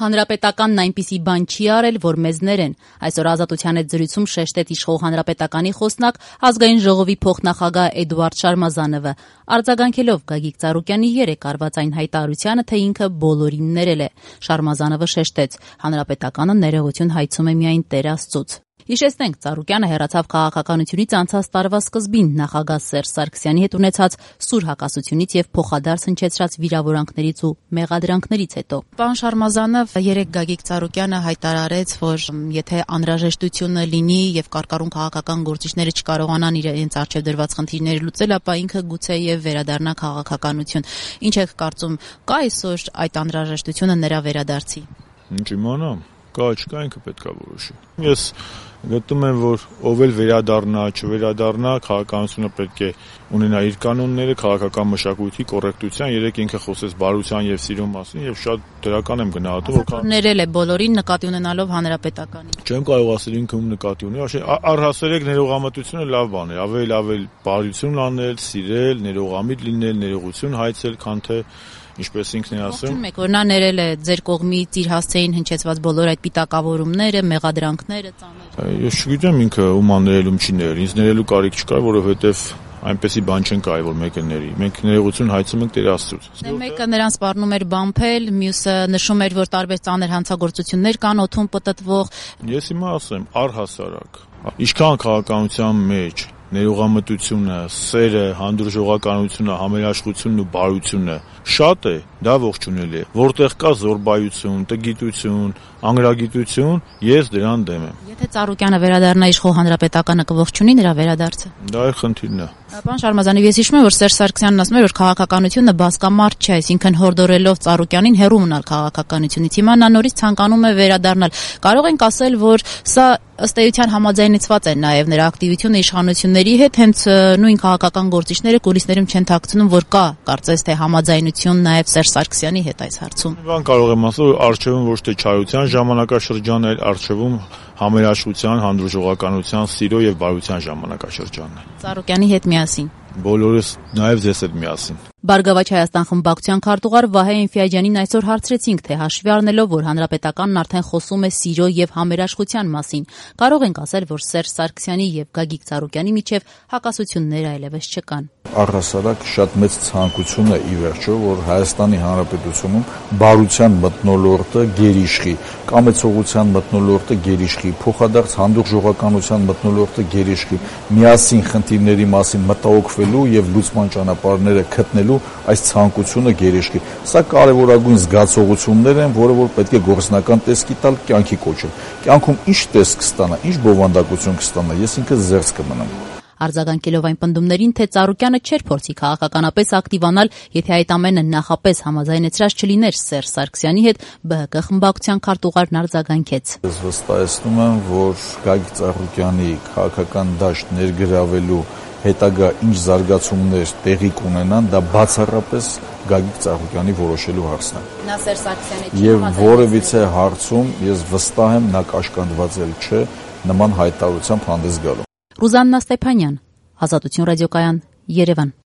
Հանրապետականն այնպիսի բան չի արել, որ մեզ ներեն։ Այսօր Ազատության հետ զրույցում շեշտեց իշխող Հանրապետականի խոսնակ Ազգային ժողովի փոխնախագահ Էդուարդ Շարմազանովը, արձագանքելով Գագիկ Ծառուկյանի երեկ արված այն հայտարարությանը, թե ինքը բոլորին ներել է։ Շարմազանովը շեշտեց. Հանրապետականը ներողություն հայցում է միայն Տեր Աստծուց։ Հիշեցնենք, Ծառուկյանը հեռացավ քաղաքականությունից անցած տարվա սկզբին նախագահ Սերժ Սարգսյանի հետ ունեցած սուր հակասությունից եւ փոխադարձ հնչեցրած վիրավորանքներից ու մեղադրանքներից հետո։ Պարոն Շարմազանով, երեկ Գագիկ Ծառուկյանը հայտարարեց, որ եթե անհրաժեշտությունը լինի եւ կարկառուն քաղաքական գործիչները չկարողանան իրենց առջեւ դրված խնդիրները լուծել, ապա ինքը գուցեև վերադառնա քաղաքականություն։ Ինչ եք կարծում, կա այսօր այդ անհրաժեշտությունը նրա վերադարձի։ Ինչ իմանամ, կա, չկա, ինքը պետք է որոշի։ Ես գտնում եմ, որ ով էլ վերադառնա, չվերադառնա, քաղաքականությունը պետք է ունենա իր կանոնները, քաղաքական մշակույթի կոռեկտության, երեք ինքը խոսեց բարության եւ սիրո մասին եւ շատ դրական եմ գնահատում, որ ներել է բոլորին նկատի ունենալով հանրապետականին։ Չեմ կարող ասել ինքը ում նկատի ունի, առհասարակ ներողամտությունը լավ բան է, ավելի բարություն անել, սիրել, ներողամիտ լինել, ներողություն հայցել, քան թե ինչպես ինքն է ասում։ Ողջունում եք, որ նա ներել է ձեր կողմից իր հասցեին հնչեցված բոլոր այդ պիտակավորումները, մեղադրանքները, ծանոթ։ Ես չգիտեմ ինքը ում աներել, ում չի ներել։ Ինձ ներելու կարիք չկա, որովհետև այնպեսի բան չեն կայ, որ մեկը ների։ Մենք ներողություն հայցում ենք Տեր Աստծուց։ Մեկը նրան սպառնում էր բամփել, մյուսը նշում էր, որ տարբեր ծանր հանցագործություններ կան օդում պտտվող։ Ես հիմա ասեմ, առհասարակ, ինչքան քաղաքականության մեջ ներողամտությունը, սերը, հանդուրժողականությունը, համերաշխությունն ու բարությունը շատ է, դա ողջունել է։ Որտեղ կա զորբայություն, տգիտություն, անգրագիտություն, ես դրան դեմ եմ։ Եթե Ծառուկյանը վերադառնա իշխող Հանրապետականը կողջունի նրա վերադարձը։ Դա է խնդիրն է։ Պարոն Շարմազանով, ես հիշում եմ, որ Սերժ Սարգսյանն ասում էր, որ քաղաքականությունը բասկամարդ չէ, այսինքն հորդորելով Ծառուկյանին հեռու մնալ քաղաքականությունից։ Հիմա նա նորից ցանկանում է վերադառնալ։ Կարող ենք ասել, որ սա ըստ էության համաձայնեցված է նաև նրա ակտիվությունը իշխանությունների հետ, հենց նույն քաղաքական գործիչները կուլիսներում չեն թաքցնում, որ կա կարծես թե համաձայնություն նաև Սերժ Սարգսյանի հետ այս հարցում։ Բան կարող եմ ասել, որ արժևում ոչ թե չարության ժամանակաշրջան է, այլ արժևում համերաշխության, հանդուրժողականության, սիրո եւ բարության ժամանակաշրջանն է։ Ծառուկյանի հետ միասին։ Բոլորս նաև ձեզ հետ միասին։ Բարգավաճ Հայաստան խմբակցության քարտուղար Վահե Ինֆիաջյանին այսօր հարցրեցինք, թե հաշվի առնելով, որ Հանրապետականն արդեն խոսում է սիրո եւ համերաշխության մասին, կարող ենք ասել, որ Սերժ Սարգսյանի եւ Գագիկ Ծառուկյանի միջեւ հակասություններ այլևս չկան։ Առհասարակ շատ մեծ ցանկություն է ի վերջո, որ Հայաստանի Հանրապետությունում բարության մթնոլորտը գերիշխի, կամեցողության մթնոլորտը գերիշխի, փոխադարձ հանդուրժողականության մթնոլորտը գերիշխի, միասին խնդիրների մասին մտահոգվելու եւ լուծման ճանապարհները գտնելու այս ցանկությունը գերիշխի։ Սա կարևորագույն զգացողություններ են, որը որ պետք է գործնական տեսքի տալ, կյանքի կոչել։ Կյանքում ինչ տեսք կստանա, ինչ բովանդակություն կստանա, ես ինքս զերծ կմնամ։ Արձագանքելով այն պնդումներին, թե Ծառուկյանը չէր փորձի քաղաքականապես ակտիվանալ, եթե այդ ամենը նախապես համաձայնեցրած չլիներ Սերժ Սարգսյանի հետ, ԲՀԿ խմբակցության քարտուղարն արձագանքեց։ Ես վստահեցնում եմ, որ Գագիկ Ծառուկյանի քաղաքական դաշտ ներգրավելու հետագա ինչ զարգացումներ տեղի կունենան, դա բացառապես Գագիկ Ծառուկյանի որոշելու հարցն է։ Նա Սերժ Սարգսյանի հետ եւ որևիցե հարցում ես վստահ եմ, նա կաշկանդված չէ նման հայտարարությամբ հանդես գալու։ Ռուզաննա Ստեփանյան, Ազատություն ռադիոկայան, Երևան։